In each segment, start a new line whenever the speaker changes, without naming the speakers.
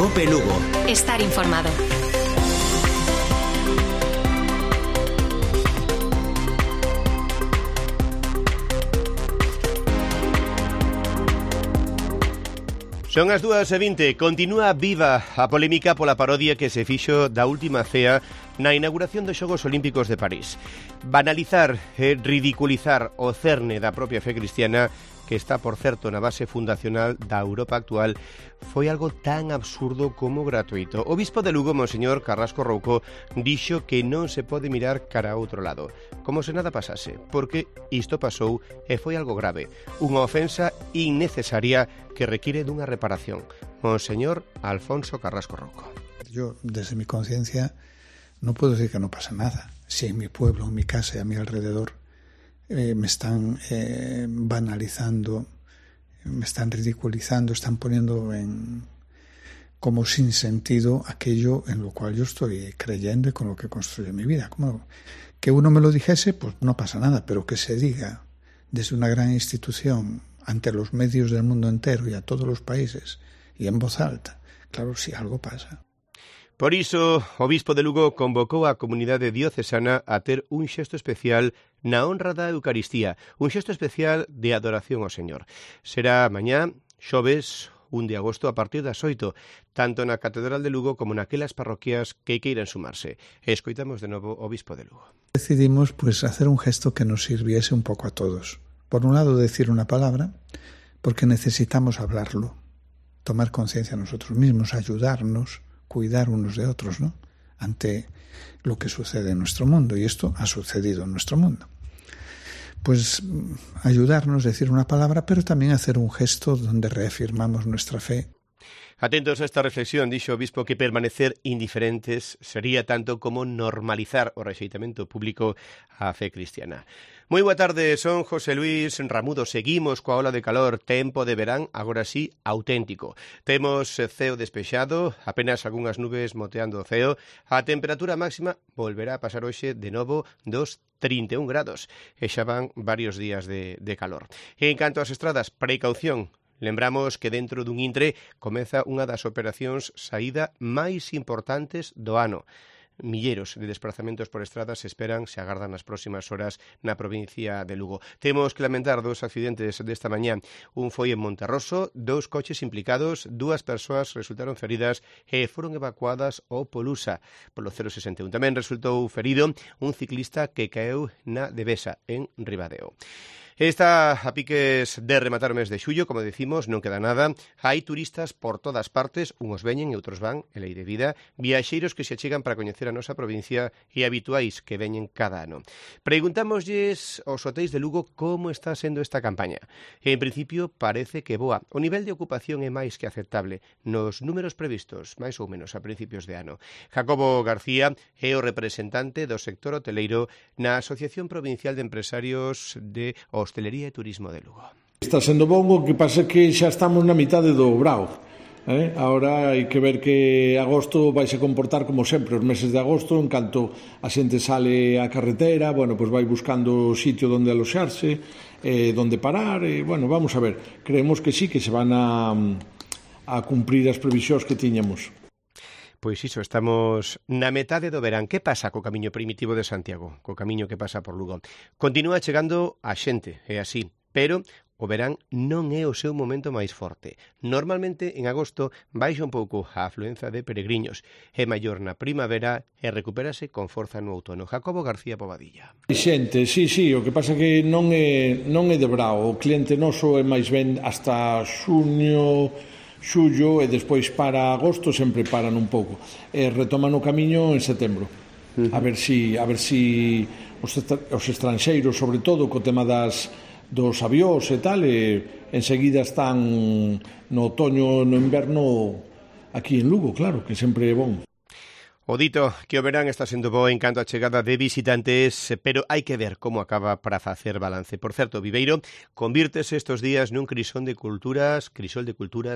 Cope Lugo.
Estar informado.
Son as 2:20, continúa viva a polémica pola parodia que se fixo da última cea na inauguración dos Xogos Olímpicos de París. Banalizar e ridiculizar o cerne da propia fe cristiana, que está, por certo, na base fundacional da Europa actual, foi algo tan absurdo como gratuito. O bispo de Lugo, Monseñor Carrasco Rouco, dixo que non se pode mirar cara a outro lado, como se nada pasase, porque isto pasou e foi algo grave, unha ofensa innecesaria que requiere dunha reparación. Monseñor Alfonso Carrasco Rouco.
Yo, desde mi conciencia, no puedo decir que no pasa nada. Si en mi pueblo, en mi casa y a mi alrededor me están banalizando, me están ridiculizando, están poniendo como sin sentido aquello en lo cual yo estoy creyendo y con lo que construyo mi vida. Como que uno me lo dijese, pues no pasa nada, pero que se diga desde una gran institución ante los medios del mundo entero y a todos los países y en voz alta, claro, sí, algo pasa.
Por iso, o bispo de Lugo convocou a comunidade diocesana a ter un xesto especial na honra da Eucaristía, un xesto especial de adoración ao Señor. Será mañá, xoves, 1 de agosto, a partir das 8, tanto na Catedral de Lugo como naquelas parroquias que queiran sumarse. Escoitamos de novo o bispo de Lugo.
Decidimos pues hacer un gesto que nos sirviese un poco a todos. Por un lado, decir una palabra, porque necesitamos hablarlo, tomar conciencia nosotros mismos, ayudarnos, cuidar unos de otros, ¿no?, ante lo que sucede en nuestro mundo, y esto ha sucedido en nuestro mundo. Pues ayudarnos, decir una palabra, pero también hacer un gesto donde reafirmamos nuestra fe.
Atentos a esta reflexión, dixo o bispo que permanecer indiferentes sería tanto como normalizar o rexeitamento público á fe cristiana. Moi boa tarde, son José Luis Ramudo. Seguimos coa ola de calor, tempo de verán, agora sí, auténtico. Temos ceo despexado, apenas algunhas nubes moteando o ceo. A temperatura máxima volverá a pasar hoxe de novo dos 31 grados, e xa van varios días de calor. En canto ás estradas, precaución. Lembramos que dentro dun intre comeza unha das operacións saída máis importantes do ano. Milleiros de desplazamentos por estradas se esperan, se agardan nas próximas horas na provincia de Lugo. Temos que lamentar 2 accidentes desta mañá. Un foi en Monterroso, 2 coches implicados, 2 persoas resultaron feridas e foron evacuadas ao Polusa polo 061. Tamén resultou ferido un ciclista que caeu na Devesa, en Ribadeo. Está a piques de rematar o mes de xullo, como decimos, non queda nada. Hai turistas por todas partes, unos veñen e outros van, e lei de vida, viaxeiros que se achegan para coñecer a nosa provincia e habituais que veñen cada ano. Preguntámoslles aos hotéis de Lugo como está sendo esta campaña. En principio, parece que boa. O nivel de ocupación é máis que aceptable nos números previstos, máis ou menos a principios de ano. Jacobo García é o representante do sector hoteleiro na Asociación Provincial de Empresarios de Hostelería e Turismo de Lugo.
Está sendo bon, o que pasa que xa estamos na mitade do brao. Ahora hai que ver que agosto vai se comportar como sempre, os meses de agosto, en canto a xente sale á carretera, bueno, pues vai buscando sitio onde aloxarse, onde parar, bueno, vamos a ver. Creemos que sí, que se van a cumprir as previsións que tiñamos.
Pois iso, estamos na metade do verán. Que pasa co camiño primitivo de Santiago, co camiño que pasa por Lugo? Continúa chegando a xente, é así, pero o verán non é o seu momento máis forte. Normalmente, en agosto, baixa un pouco a afluenza de peregriños. É maior na primavera e recupérase con forza no outono. Jacobo García Povadilla.
Xente, sí, o que pasa que non é de brao. O cliente noso é máis ben hasta xuño, xullo, e despois para agosto sempre paran un pouco. Retoman o camiño en setembro. A ver si os estranxeiros, sobre todo, co tema dos avións e tal, enseguida están no otoño, no inverno aquí en Lugo, claro, que sempre é bon.
O dito que o verán está sendo bo en canto a chegada de visitantes, pero hai que ver como acaba para facer balance. Por certo, Viveiro convírtese estes días nun crisol de culturas,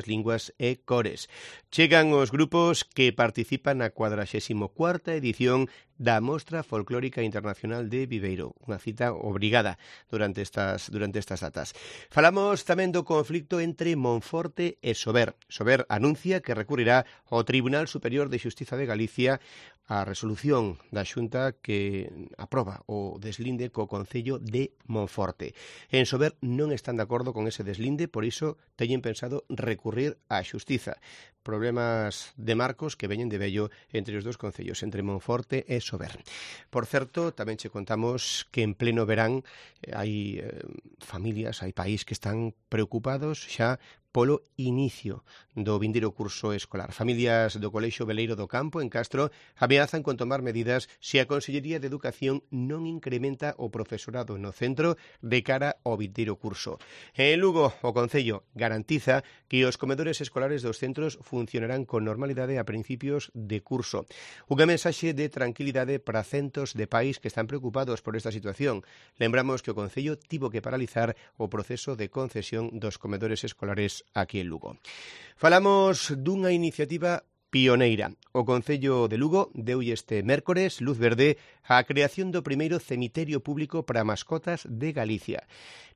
linguas e cores. Chegan os grupos que participan na 44ª edición da Mostra Folclórica Internacional de Viveiro, unha cita obrigada durante estas datas. Falamos tamén do conflicto entre Monforte e Sober. Sober anuncia que recurrirá ao Tribunal Superior de Xustiza de Galicia a resolución da Xunta que aproba o deslinde co Concello de Monforte. En Sober non están de acordo con ese deslinde, por iso teñen pensado recurrir á Xustiza. Problemas de marcos que veñen de vello entre os dos concellos, entre Monforte e Sober. Por certo, tamén che contamos que en pleno verán hai familias, hai país que están preocupados xa polo inicio do vindeiro curso escolar. Familias do Colexio Veleiro do Campo, en Castro, ameazan con tomar medidas se a Consellería de Educación non incrementa o profesorado no centro de cara ao vindeiro curso. En Lugo, o Concello garantiza que os comedores escolares dos centros funcionarán con normalidade a principios de curso. Unha mensaxe de tranquilidade para centos de pais que están preocupados por esta situación. Lembramos que o Concello tivo que paralizar o proceso de concesión dos comedores escolares aquí en Lugo. Falamos dunha iniciativa pioneira. O Concello de Lugo deulle este mércores luz verde á creación do primeiro cemiterio público para mascotas de Galicia.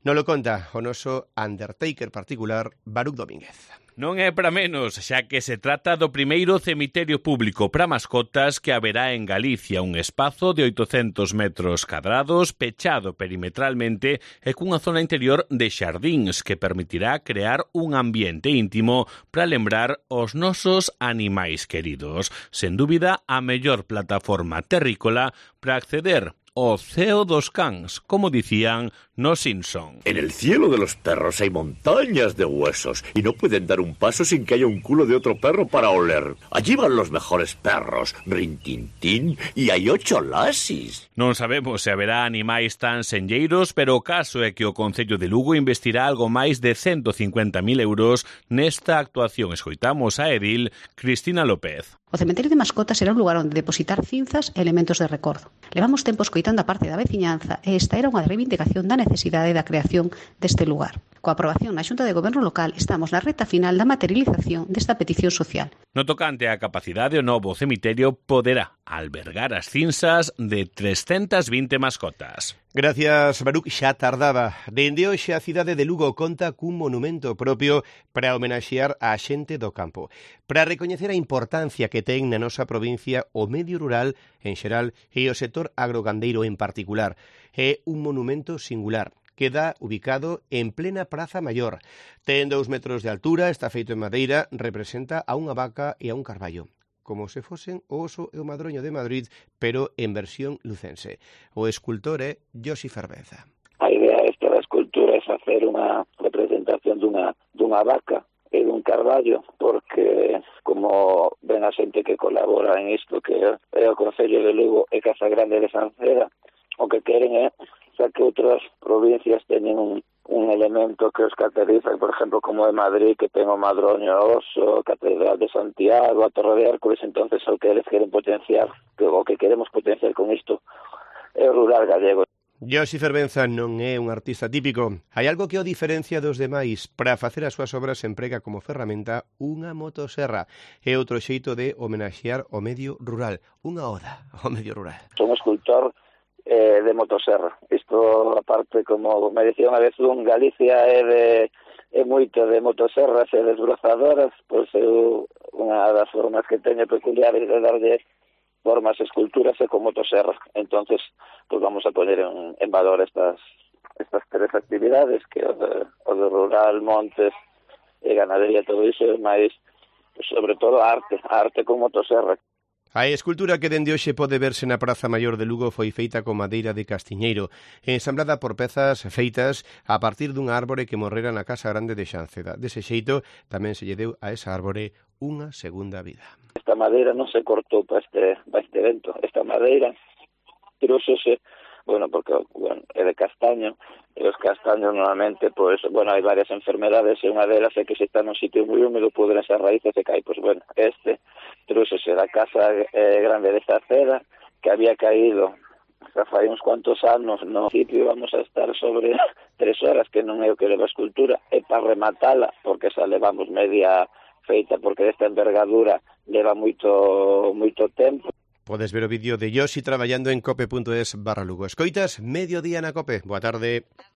Nolo conta o noso undertaker particular, Baruch Domínguez.
Non é para menos, xa que se trata do primeiro cemiterio público para mascotas que haberá en Galicia, un espazo de 800 metros cadrados, pechado perimetralmente e cunha zona interior de xardíns que permitirá crear un ambiente íntimo para lembrar os nosos animais queridos. Sen dúbida, a mellor plataforma terrícola para acceder o ceo dos cans, como dicían no Simpson.
En el cielo de los perros hay montañas de huesos y no pueden dar un paso sin que haya un culo de otro perro para oler. Allí van los mejores perros, rintintín, y hay 8 lasis.
Non sabemos se haberá animais tan senlleiros, pero o caso é que o Concello de Lugo investirá algo máis de 150.000 euros nesta actuación. Escoitamos a edil Cristina López.
O cemiterio de mascotas será un lugar onde depositar cinzas e elementos de recordo. Levamos tempo escoitando a parte da veciñanza e esta era unha reivindicación da necesidade da creación deste lugar. Coa aprobación na Xunta de Goberno Local estamos na reta final da materialización desta petición social.
No tocante á capacidade, o novo cemiterio poderá albergar as cinzas de 320 mascotas.
Gracias, Baruch. Xa tardaba. Dende hoxe a cidade de Lugo conta cun monumento propio para homenaxear a xente do campo, para recoñecer a importancia que ten na nosa provincia o medio rural en xeral e o sector agrogandeiro en particular. É un monumento singular. Queda ubicado en plena Praza Maior. Ten 2 metros de altura, está feito en madeira, representa a unha vaca e a un carballo, como se fosen o oso e o madroño de Madrid, pero en versión lucense. O escultor é Josi Fervenza.
A idea esta da escultura é facer unha representación dunha vaca e dun carballo, porque como ven a xente que colabora en isto, que é o Concello de Lugo e Casa Grande de Sanceda, o que queren é que outras provincias teñen un elemento que os caracteriza, por exemplo, como de Madrid, que ten o madroño oso, Catedral de Santiago, a Torre de Hércules. Entonces o que eles queren potenciar, o que queremos potenciar con isto, é o rural gallego.
Josi Fervenza non é un artista típico. Hai algo que o diferencia dos demais. Para facer as súas obras emprega como ferramenta unha motoserra. É outro xeito de homenaxear o medio rural. Unha oda ao medio rural.
Son escultor de motoserra. Isto, aparte, como me decía unha vez Galicia é moito de motoserras e desbrozadoras, pois é unha das formas que teño peculiares de darlle formas, esculturas e con motoserra. Entonces, pues vamos a poner en valor estas 3 actividades, que o de rural, montes e ganadería, todo iso, máis, sobre todo, arte con motoserra.
A escultura que dende hoxe pode verse na Praza Maior de Lugo foi feita con madeira de castiñeiro, ensamblada por pezas feitas a partir dunha árbore que morrera na Casa Grande de Xanceda. Dese xeito, tamén se lle deu a esa árbore unha segunda vida.
Esta madeira non se cortou para este evento. Esta madeira trúxose, porque é de castaño, e os castaños normalmente, hai varias enfermedades, e unha delas é que se está nun sitio moi húmedo, pudren as raíces e cai. Este trúxose da Casa Grande de Sanceda, que había caído xa fai uns cuantos anos no sitio. Vamos a estar sobre 3 horas, que non é o que leva a escultura, e para rematala, porque xa levamos media feita, porque desta envergadura leva moito tempo.
Podes ver o vídeo de Yoshi traballando en cope.es/Lugo. Escoitas Mediodía na Cope. Boa tarde.